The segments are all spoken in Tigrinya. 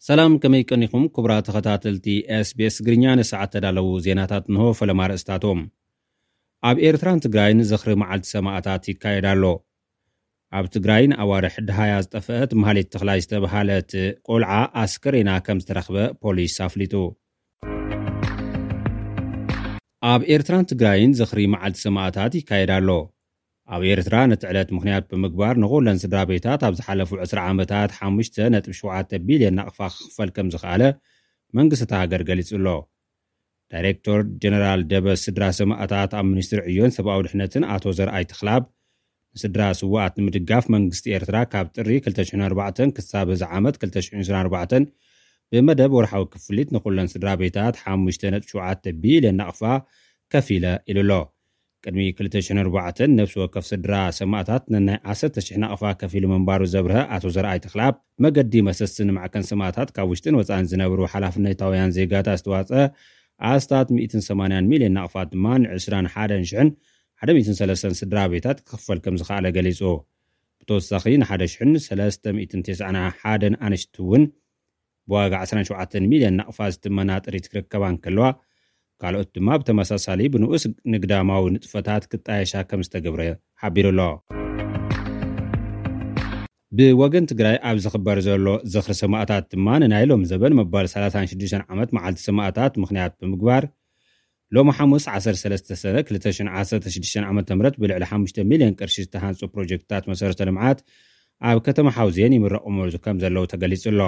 ሰላም፣ ከመይ ቀኒኹም ክቡራት ተኸታተልቲ ኤስቢኤስ ትግርኛ? ንሰዓት ተዳለዉ ዜናታት እንሆ። ፈለማ ኣርእስታቶም። ኣብ ኤርትራን ትግራይን ዝኽሪ መዓልቲ ሰማእታት ይካየድ ኣሎ። ኣብ ትግራይ ንኣዋርሕ ደሃያ ዝጠፍአት ማህሌት ተኽላይ ዝተብሃለት ቆልዓ ኣስከሬና ከም ዝተረኽበ ፖሊስ ኣፍሊጡ። ኣብ ኤርትራን ትግራይን ዝኽሪ መዓልቲ ሰማእታት ይካየድ ኣሎ። ኣብ ኤርትራ ነቲ ዕለት ምኽንያት ብምግባር ንኹለን ስድራ ቤታት ኣብ ዝሓለፉ ዕስራ ዓመታት ሓሙሽተ ነጥቢ ሸውዓተ ቢልዮን ናቕፋ ክኽፈል ከም ዝኸኣለ መንግስቲ እታ ሃገር ገሊጹ ኣሎ። ዳይሬክቶር ጀነራል ደበ ስድራ ሰማእታት ኣብ ሚኒስትሪ ዕዮን ሰብኣዊ ድሕነትን ኣቶ ዘርኣይ ተኽላብ፣ ንስድራ ስውኣት ንምድጋፍ መንግስቲ ኤርትራ ካብ ጥሪ ክልተ ሽሕን ኣርባዕተን ክሳብ እዚ ዓመት ክልተ ሽሕን ዕስራን ኣርባዕተን ብመደብ ወርሓዊ ክፍሊት ንኹለን ስድራ ቤታት ሓሙሽተ ነጥቢ ሸውዓተ ቢልዮን ናቕፋ ከፊለ ኢሉ ኣሎ። ቅድሚ ክልተ ሽሕን ኣርባዕተን ነፍሲ ወከፍ ስድራ ሰማእታት ነናይ ዓሰርተ ሽሕ ናቕፋ ከፊሉ ምንባሩ ዘብርሀ ኣቶ ዘርኣይ ተኽላብ፣ መገዲ መሰስን ማዕከን ሰማእታት ካብ ውሽጥን ወጻእን ዝነብሩ ሓላፍነታውያን ዜጋታት ዝተዋጸ ኣስታት ሚእትን ሰማንያን ሚልዮን ናቕፋ ድማ ንዕስራን ሓደን ሽሕን ሓደ ሚእትን ሰለስተን ስድራ ቤታት ክኽፈል ከም ዝኸኣለ ገሊጹ። ብተወሳኺ ንሓደ ሽሕን ሰለስተ ሚእትን ተስዓን ሓደን ኣንሽቲ እውን ብዋጋ ዕስራን ሸውዓተን ሚልዮን ናቕፋ ዝትመና ጥሪት ክርከባ እንከለዋ፣ ካልኦት ድማ ብተመሳሳሊ ብንኡስ ንግዳማዊ ንጥፈታት ክጣየሻ ከም ዝተገብረ ሓቢሩ ኣሎ። ብወገን ትግራይ ኣብ ዝኽበር ዘሎ ዝኽሪ ሰማእታት ድማ ንናይ ሎም ዘበን መባል ሰላሳን ሽዱሽተን ዓመት መዓልቲ ሰማእታት ምኽንያት ብምግባር፣ ሎሚ ሓሙስ ዓሰርተ ሰለስተ ሰነ ክልተ ሽሕን ዓሰርተ ሽዱሽተን ዓመተ ምህረት ብልዕሊ ሓሙሽተ ሚልዮን ቅርሺ ዝተሃንጹ ፕሮጀክትታት መሰረተ ልምዓት ኣብ ከተማ ሓውዜን ይምረቑ ከም ዘለዉ ተገሊጹ ኣሎ።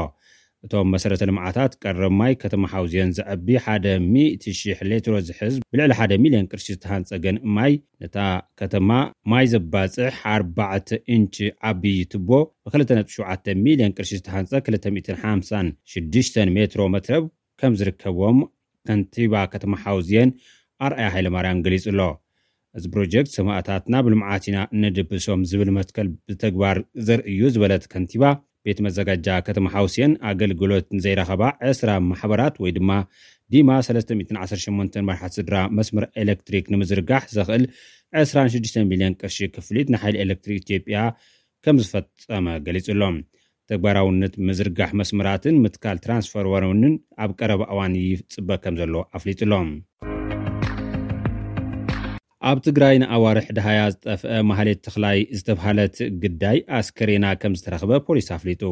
እቶም መሰረተ ልምዓታት ቀረብ ማይ ከተማ ሓውዜን ዘዕቢ ሓደ ሚእቲ ሺሕ ሌትሮ ዝሕዝ ብልዕሊ ሓደ ሚልዮን ቅርሺ ዝተሃንጸ ገንኢ ማይ፣ ነታ ከተማ ማይ ዘባጽሕ ኣርባዕተ ኢንች ዓብዪ ቱቦ፣ ብክልተ ነጥቢ ሸውዓተ ሚልዮን ቅርሺ ዝተሃንጸ ክልተ ሚእትን ሓምሳን ሽዱሽተን ሜትሮ መትረብ ከም ዝርከብዎም ከንቲባ ከተማ ሓውዜን ኣርኣያ ሃይለማርያም ገሊጹ ኣሎ። እዚ ፕሮጀክት ሰማእታትና ብልምዓት ኢና እነድብሶም ዝብል መትከል ብተግባር ዘርኢ እዩ ዝበለት ከንቲባ፣ ቤት መዘጋጃ ከተማ ሓውዜን ኣገልግሎት ንዘይረኸባ ዕስራ ማሕበራት ወይ ድማ ዲማ ሰለስተ ሚእትን ዓሰርተ ሸሞንተን መራሕቲ ስድራ መስመር ኤሌክትሪክ ንምዝርጋሕ ዘኽእል ዕስራን ሽዱሽተ ሚልዮን ቅርሺ ክፍሊት ንሓይሊ ኤሌክትሪክ ኢትዮጵያ ከም ዝፈጸመ ገሊጹ ኣሎ። ተግባራውነት ምዝርጋሕ መስመራትን ምትካል ትራንስፎርመርን ኣብ ቀረባ እዋን ይጽበ ከም ዘሎ ኣፍሊጡ ኣሎ። ኣብ ትግራይ ንኣዋርሕ ደሃያ ዝጠፍአ ማህሌት ተኽላይ ዝተብሃለት ግዳይ ኣስከሬና ከም ዝተረኽበ ፖሊስ ኣፍሊጡ።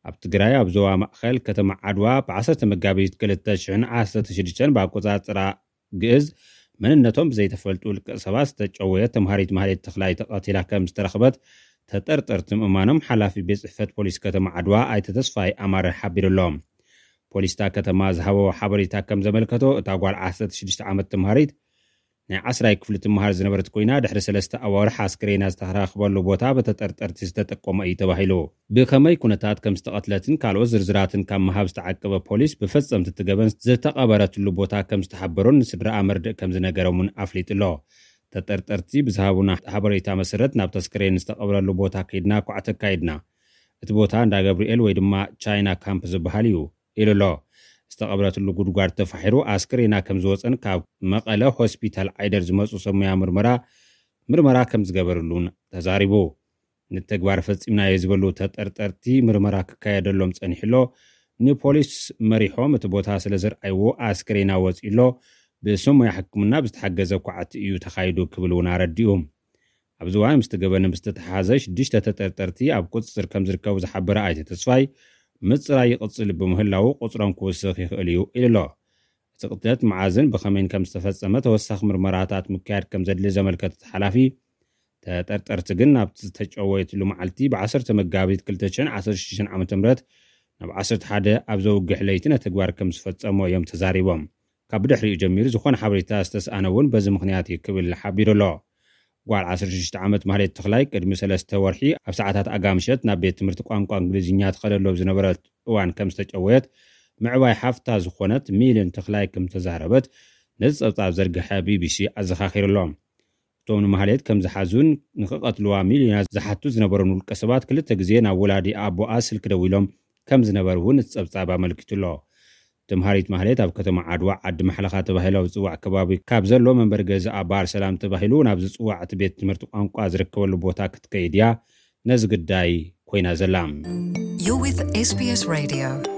ኣብ ትግራይ ኣብ ዞባ ማእኸል ከተማ ዓድዋ ብዓሰርተ መጋቢት ክልተ ሽሕን ዓሰርተ ሽዱሽተን ብኣቆጻጽራ ግእዝ መንነቶም ብዘይተፈልጡ ውልቀ ሰባት ዝተጨወየት ተምሃሪት ማህሌት ተኽላይ ተቐቲላ ከም ዝተረኽበት ተጠርጠርቲ ምእማኖም ሓላፊ ቤት ጽሕፈት ፖሊስ ከተማ ዓድዋ ኣይተ ተስፋይ ኣማረ ሓቢሩ ኣሎ። ፖሊስ እታ ከተማ ዝሃቦ ሓበሬታ ከም ዘመልከቶ፣ እታ ጓል ዓሰርተ ሽዱሽተ ዓመት ተምሃሪት ናይ ዓስራይ ክፍሊ ትምሃር ዝነበረት ኮይና፣ ድሕሪ ሰለስተ ኣዋርሕ ኣስክሬና ዝተረኽበሉ ቦታ ብተጠርጠርቲ ዝተጠቆመ እዩ ተባሂሉ። ብኸመይ ኩነታት ከም ዝተቐትለትን ካልኦት ዝርዝራትን ካብ ምሃብ ዝተዓቀበ ፖሊስ፣ ብፈጸምቲ እቲ ገበን ዝተቐበረትሉ ቦታ ከም ዝተሓበሮን ንስድራኣ መርድእ ከም ዝነገሮምን ኣፍሊጡ ኣሎ። ተጠርጠርቲ ብዝሃቡና ሓበሬታ መሰረት ናብ ተስክሬን ዝተቐብረሉ ቦታ ከይድና ኳዕቲ ኣካይድና። እቲ ቦታ እንዳ ገብርኤል ወይ ድማ ቻይና ካምፕ ዝበሃል እዩ ኢሉ ኣሎ። ዝተቐብረትሉ ጉድጓድ ተፋሒሩ ኣስክሬና ከም ዝወፀን ካብ መቐለ ሆስፒታል ዓይደር ዝመፁ ሰብ ሞያ ምርመራ ምርመራ ከም ዝገበርሉን ተዛሪቡ። ንተግባር ፈፂምናዮ ዝበሉ ተጠርጠርቲ ምርመራ ክካየደሎም ፀኒሑ ኣሎ። ንፖሊስ መሪሖም እቲ ቦታ ስለ ዘርኣይዎ ኣስክሬና ወፂኡ ኣሎ። ብሰብ ሞያ ሕክምና ብዝተሓገዘ ኳዕቲ እዩ ተኻይዱ ክብል እውን ኣረዲኡ። ኣብዚ እዋን ምስቲ ገበን ብዝተተሓሓዘ ሽዱሽተ ተጠርጠርቲ ኣብ ቁፅፅር ከም ዝርከቡ ዝሓበረ ኣይተ ተስፋይ፣ ምፅራይ ይቕፅል ብምህላዉ ቁፅሮም ክውስኽ ይኽእል እዩ ኢሉ ኣሎ። እቲ ቅትለት መዓዝን ብኸመይን ከም ዝተፈጸመ ተወሳኺ ምርመራታት ምክያድ ከም ዘድሊ ዘመልከተ እቲ ሓላፊ፣ ተጠርጠርቲ ግን ናብቲ ዝተጨወየትሉ መዓልቲ ብዓሰርተ መጋቢት ክልተ ሽሕን ዓሰርተ ሽዱሽተን ዓመተ ምህረት ናብ ዓሰርተ ሓደ ኣብ ዘውግሕ ለይቲ ነቲ ተግባር ከም ዝፈጸሞ እዮም ተዛሪቦም። ካብ ብድሕሪኡ ጀሚሩ ዝኾነ ሓበሬታ ዝተስኣነ እውን በዚ ምኽንያት እዩ ክብል ሓቢሩ ኣሎ። ጓል ዓሰርተ ሽዱሽተ ዓመት ማህሌት ተኽላይ ቅድሚ ሰለስተ ወርሒ ኣብ ሰዓታት ኣጋ ምሸት ናብ ቤት ትምህርቲ ቋንቋ እንግሊዝኛ ትኸደሉ ኣብ ዝነበረት እዋን ከም ዝተጨወየት ምዕባይ ሓፍታ ዝኾነት ሚልዮን ተኽላይ ከም ዝተዛረበት ነዚ ጸብጻብ ዘርግሐ ቢቢሲ ኣዘኻኺሩ ኣሎ። እቶም ንማህሌት ከም ዝሓዙን ንኽቐትልዋ ሚልዮና ዝሓቱ ዝነበሩን ውልቀ ሰባት ክልተ ግዜ ናብ ወላዲ ኣቦኣ ስልኪ ደዊሎም ከም ዝነበሩ እውን እቲ ጸብጻብ ኣመልኪቱ ኣሎ። ተምሃሪት ማህሌት ኣብ ከተማ ዓድዋ ዓዲ ማሕለኻ ተባሂሉ ኣብ ዝጽዋዕ ከባቢ ካብ ዘሎ መንበሪ ገዛኣ ባር ሰላም ተባሂሉ ናብ ዝጽዋዕ እቲ ቤት ትምህርቲ ቋንቋ ዝርከበሉ ቦታ ክትከይድ እያ ነዚ ግዳይ ኮይና ዘላ። You're with SBS Radio.